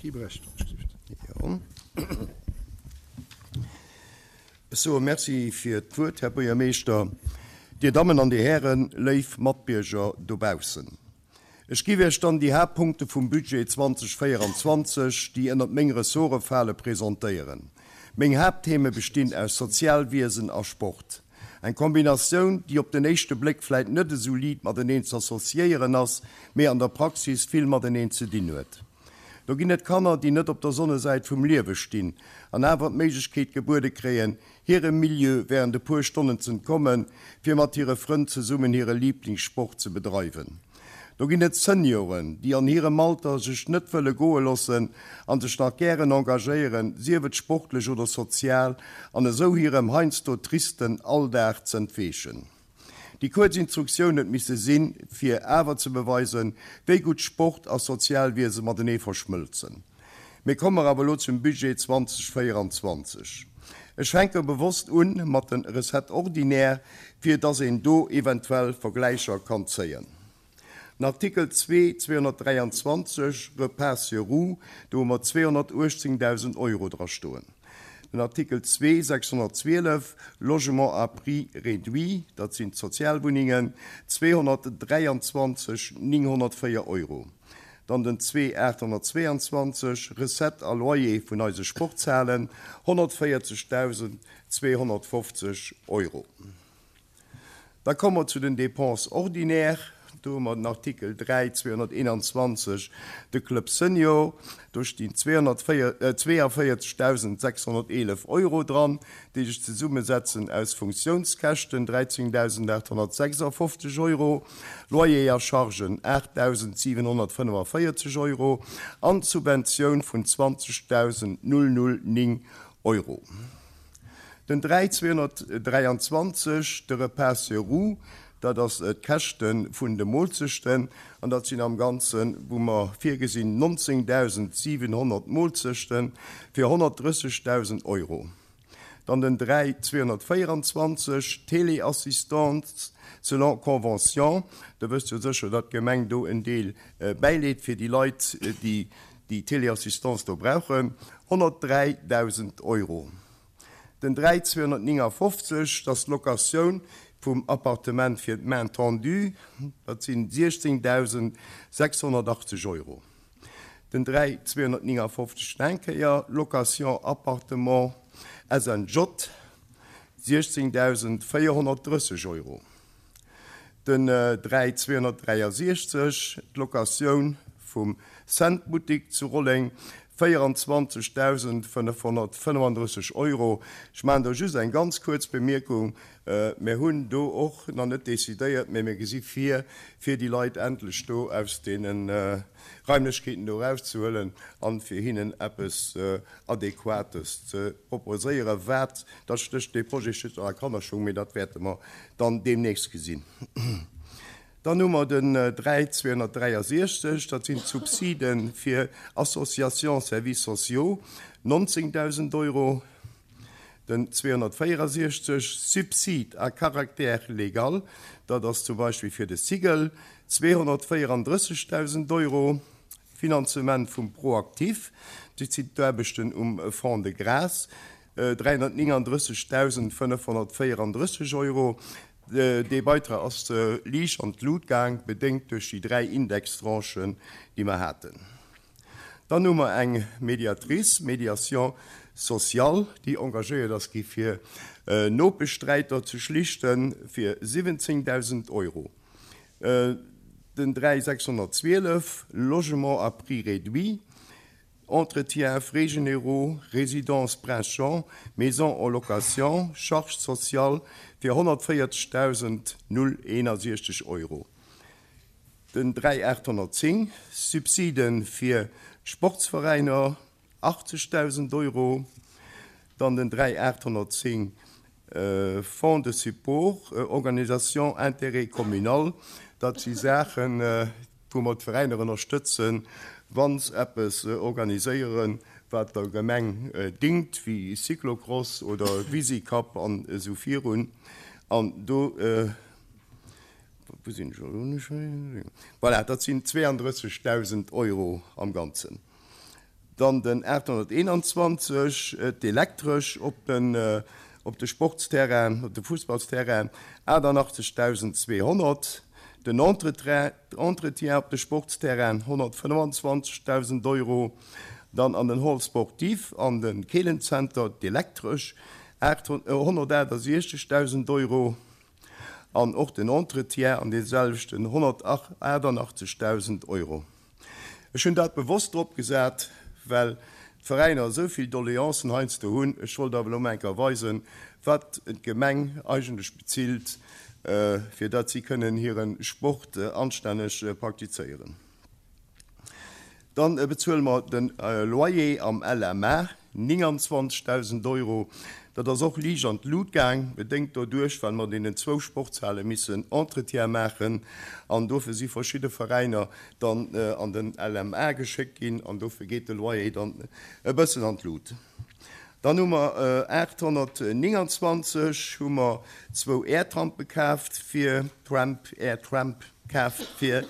Guy Brecht, wann ech gelift. Jo. Ech soe Merci fir d'Wuert, Här Buergermeeschter, Dir Dammen an Dir Hären, léif Matbierger dobaussen. Ech giff Iech dann déi Haaptpunkte vum Budget 2024, déi ënnert meng Ressorte fale, presentéieren. Meng Haapttheme bestinn aus Sozialwiesen a Sport. Eng Kombinatioun, déi op den éischte Bléck vläit net esou liit mateneen z'associéieren ass, mee an der Praxis vill mateneen ze dinn huet. Do ginn et Kanner, déi net op der Sonnesäit vum Liewe stinn an awer d'Méiglechkeet gebuede kréien, hirem Milieu während e puer Stonnen z'entkommen, fir mat hire Frënn zesummen hire Liiblingssport ze bedreiwen. Do ginn et Senioren, déi an hirem Alter sech net wëlle goe loossen an sech nach gären engagéieren, sief et sportlech oder sozial, an esou hirem heiansdo tristen Alldag z'entweechen. Déi kuerz Instruktioun huet misse sinn, fir awer ze beweisen, wéi gutt Sport a Sozialwiese matenee verschmëlzen. Mee komme mer awer elo zum Budget 2024. Ech fänke bewosst un mat de Recettes ordinaires, fir dass een do eventuell Vergläicher kann zéien. Den Artikel 2, 223, Repas sur roues, do hu mer 218.000 Euro dra stoen. Den Artikel 2, 612, Logement à prix réduit, dat sinn d'Sozialwunnengen, 223 904 Euro. Dann den 2, 822, Recettes a Loyer vun eise Sportshalen, 140.250 Euro. Da komme mer zu den Dépenses ordinaires. Do hu mer den Artikel 3, 221, de Club Senior. Do stinn 242.611 Euro dran, déi sech zesummesetzen aus Funktiounskäschten, 13.856 Euro, Loyer a Chargen, 8.745 Euro, an d'Subventioun vun 20.009 Euro. Den 3 223, de Repas sur roues, dat ass d'Käschte vun de Moolzechten, an dat sinn am Ganzen, wou mer virgesinn, 19.700 Moolzechte fir 130.000 Euro. Dann den 3 224, Téléassistance selon convention, Der wësst jo sécher, datt d'Gemeng do en Deel bäileet fir déi Leit, déi déi Téléassistance do brauchen, 103.000 Euro. Den 3 259, dat ass d'Locatioun vum Appartement fir d'Main tendue, dat sinn 16.680 Euro. Den 3 259 nach eng Kéier, Location appartement SNJ, 16.430 Euro. Den 3 263, d'Locatioun vum Cent Buttik zu Rolleng, 24.535 Euro. Ech maachen do just eng ganz kuerz Bemierkung. Mir hunn do och nach net decidéiert, mä mir gesi vir, fir déi Leit endlech do aus deene Raimlechkeeten do erauszehuelen an fir hinnen eppes Adequates ze proposéieren, wat, dat stécht, dee Projet steet nach a Kannerschung, mee dat wäerte mer dann deemnächst gesinn. Dann hu mer den 3 263, dat sinn d'Subside fir Associations services sociaux, 19.000 Euro. Den 264, Subside à caractère légal, dat ass zum Beispill fir de Cigl, 234.000 Euro. Finanzement vum ProActif, dat sinn d'Aarbechten um Fonds de Grâce, 339.534 Euro. Dee Beitrag ass liicht an d'Lut gaang, bedéngt duerch déi 3 Indextranchen, déi mer haten. Dann hu mer eng Mediatrice, Médiation sociale, déi engagéiert ass gi fir Nopeschsträiter ze schlichten, fir 17.000 Euro. Den 3 612, Logement à prix réduit, Entretien, frais généraux, Résidence Prince Jean, Maison en location, Charges sociales, fir 140.061 Euro. Den 3 810, Subside fir d'Sportsveräiner, 80.000 Euro. Dann den 3 810, Fonds de support, Organisation intérêt communal, dat si Saachen, wou mer d'Veräiner ënnerstëtzen, wa se eppes organiséieren, wat der Gemeng dingt, wéi Cyclocross oder Visicup an esou virun. An do, wou sinn ech elo? Voilà, dat sinn 32.000 Euro am Ganzen. Dann den 821, d'Elektresch op den op de Sportsterrain, op de Fussballsterrain, 88.200. Den Entretien op de Sportsterrain, 125.000 Euro. Dann an den Hall sportif an de Keelenzenter, d'Elektresch, 168.000 Euro. An och den Entretien an deeselwechten 188.000 Euro. Ech hunn dat bewosst drop gesat, well d'Veräiner esou vill Doleancen heiansdo hunn. Ech wollt awer elo mol eng Kéier weisen, wat d'Gemeng eigentlech bezilt, fir datt si kënnen hire Sport anstänneg praktizéieren. Dann bezuele mer de Loyer am LMA, 29.000 Euro. Dat ass och liicht an d'Lut gaang, bedéngt doduerch, well mer deenen zwou Sportshale missen Entretien maachen. An dofir si verschidde Veräiner dann an den LMA geschéckt ginn an dofir geet de Loyer dann e bëssen an d'Lut. Dann hu mer 829 hu mer zwou Airtrampe kaaft fir, Tramp, Airtramp kaaft fir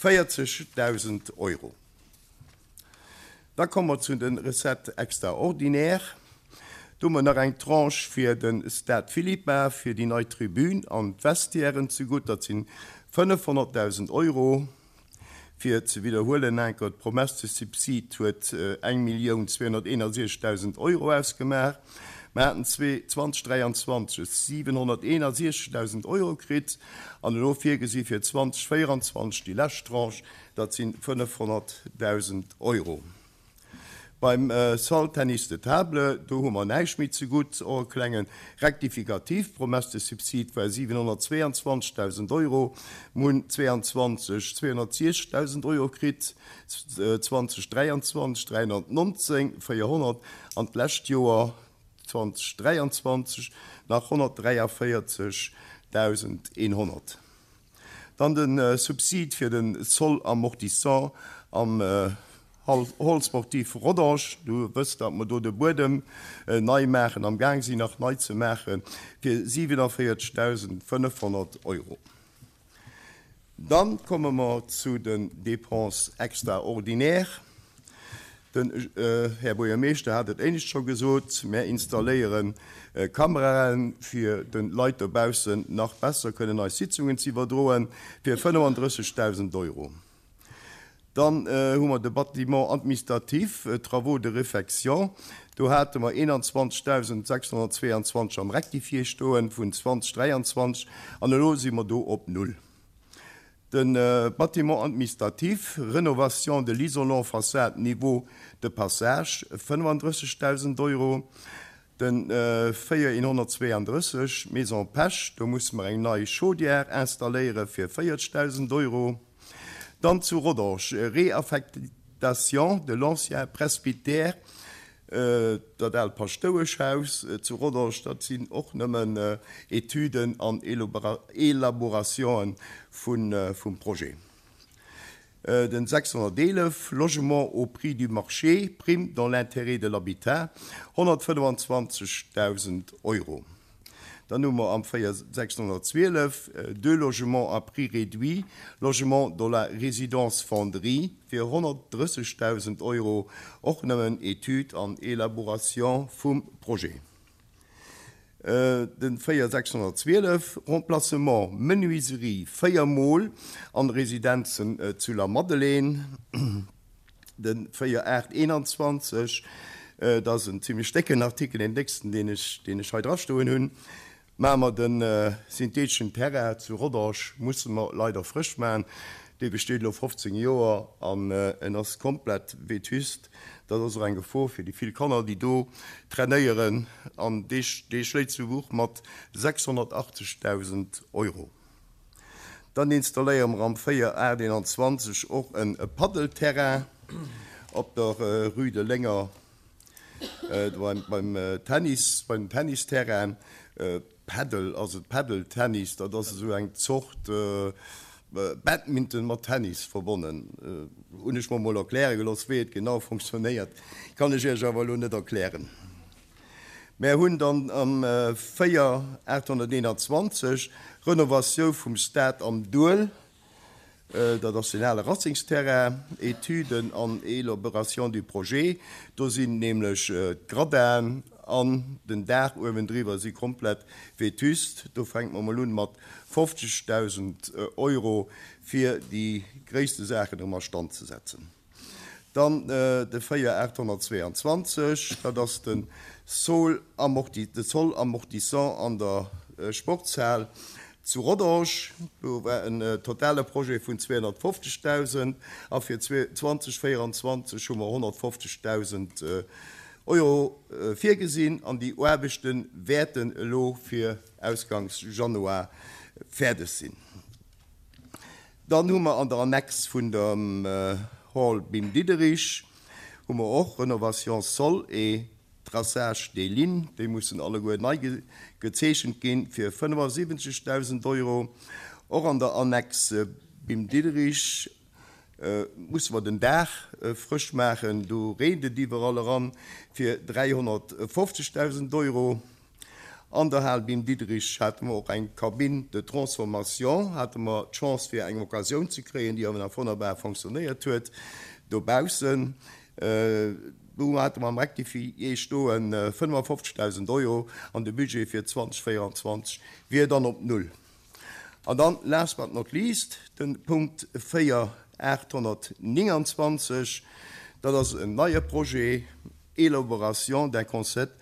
40.000 Euro. Da komme mer zu de Recettes extraordinaires. Do hu mer nach eng Tranche fir de Stade Philippa, fir déi nei Tribün an d'Vestiairen zegutt. Dat si 500.000 Euro. Fir ze widderhuelen, Enker, d'Promesse de subside huet 1.261.000 Euro ausgemaach. Mer haten 2023 761.000 Euro kritt an elo virgesi fir 2024 déi lescht Tranche, dat si 500.000 Euro. Beim Salle Tennis de Table, do hu mer näischt méi zegutt, och e klenge Rectificatif, d'Promesse de subside war 722.000 Euro, mer hunn 22 260.000 Euro kritt, 2023 319 400 an d'lescht Joer 2023 nach 143.100. Dann de Subsid fir de Sol amortissant am Hall sportif Rodange. Du wësst, datt mer do de Buedem nei maachen, am Gaang sinn nach nei ze maachen, fir 47.500 Euro. Dann komme mer zu den Dépenses extraordinaires. Den Här Buergermeeschter hat et éinescht scho gesot, Mär installéiere Kameraen, fir de Leit dobaussen nach besser kënnen eis Sitzungen ze iwwerdroen, fir 35.000 Euro. Dann hu mer de Bâtiment administratif, Travaux de réfection, do hate mer 21.622 am Rectifié stoen vun 2023 an elo si mer do op null. De Bâtiment administratif, Rénovation de l'isolant façade niveau de passage, 35.000 Euro. De 4132, Maison Pesch, do musse mer eng nei Chaudière installéiere fir 40.000 Euro. Dann zu Rodange, Réaffectation de l'ancien presbytère, Dat aalt Paschtoueschhaus zu Rodange, dat sinn och nëmmen Etüden an Elaborationen vum Projet. Den 611, Logement au prix du marché, prime dans l'intérêt de l'habitat, 125.000 Euro. Dann hu mer am 4 612 deux logements à prix réduit, logement dans la résidence Fonderie fir 130.000 Euro, och nëmmen Etüd an Elaboration vum Projet. Den 4 612, Remplacement menuiserie 4 mol an Residenzen zu Lamadelaine. Den 4 8 21, dat ass en zimlech décken Artikel, deen décksten, deen ech, deen ech hei drastoen hunn. Maache mer de syntheteschen Terrain zu Rodange musse mer leider frësch maachen. Dee besteet elo 15 Joer an en ass komplett vétuste. Dat ass och eng Gefor fir déi vill Kanner, déi do trainéieren. An dee, dee schléit zu Buch mat 680.000 Euro. Dann installéiere mer am 4 8 21 och e Paddelterrain op der Rue de Lénger beim Tennis, beim Tennisterrain. Paddle ass et, Paddle-Tennis, dat ass esou eng Zort Badminton mat Tennis verbonnen. Hunn ech mer mol erkläre gelooss. Wéi et genau fonctionnéiert, kann ech Iech awer elo net erklären. Mär hunn dann am 4 821 Renovatioun vum Stade am Duel. Dat ass deen ale Racingsterrain, Etüden an Élaboration du projet. Do sinn nämlech d'Gradinen an den Daach uewendriwwer si komplett vétuste. Do fänke mer emol un mat 50.000 Euro, fir déi gréisste Saachen erëm a Stand ze setzen. Dann de 4 822, dat ass de Sol amortissant an der Sportshal zu Rodange. Do war en totale Projet vun 250.000 a fir 2024 hu mer 150.000 Euro virgesinn an déi Aarbechte wäerten elo fir ausgangs Januar fäerdeg sinn. Dann hu mer an der Annex vun dem Hall Bim Diderich hu mer och Rénovation sol et traçage des lignes, déi mussen alleguer nei gezeechent ginn, fir 75.000 Euro. Och an der Annex Bim Diderich musse mer den Daach frësch maachen, do reent et iwwerall eran, fir 350.000 Euro. An der Hal Bim Diderich hate mer och eng Cabine de transformation, hate mer d'Chance fir eng Occasioun ze kréien, déi awer nach wonnerbar fonctionnéiert huet dobaussen. Do hate mer am Rectifié stoen 55.000 Euro an de Budget fir 2024 wier dann op Null. An dann, last but not least, de Punkt 4 829, dat ass en neie Projet, Élaboration d'un concept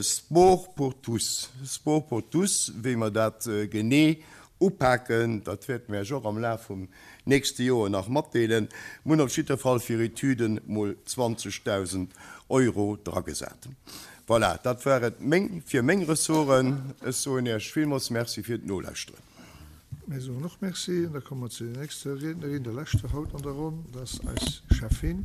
Sport pour tous. Sport pour tous, wéi mer dat genee upaken, dat wäerte mir Iech och am Laf vum nächste Joer nach matdeelen. Mir hunn op jidder Fall fir Etüden mol 20.000 Euro dragesat. Voilà, dat war et meng, fir meng Ressorten. Ech soen Iech villmools Merci fir d'Nolauschteren. Mir soen och Merci an da komme mer zu der nächster Riednerin, der leschter haut an der Ronn, dat ass eis Schäffin.